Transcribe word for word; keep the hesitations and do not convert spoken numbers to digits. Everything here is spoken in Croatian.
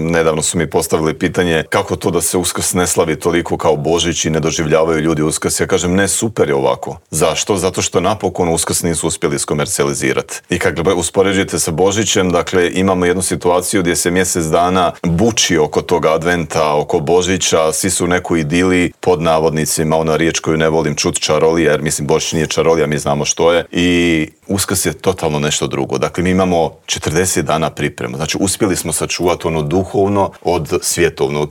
Nedavno su mi postavili pitanje kako to da se Uskrs ne slavi toliko kao Božić i ne doživljavaju ljudi Uskrs. Ja kažem ne, super je ovako. Zašto? Zato što napokon Uskrs nisu uspjeli iskomercijalizirati. I kad uspoređujete sa Božićem, dakle imamo jednu situaciju gdje se mjesec dana buči oko toga adventa, oko Božića, svi su u nekoj idili, pod navodnicima, ona riječ koju ne volim čut, čarolija, jer mislim Božić nije čarolija, mi znamo što je. I Uskrs je totalno nešto drugo. Dakle, mi imamo četrdeset dana pripremu. Znači, uspjeli smo sačuvati ono duhovno od svjetovnog.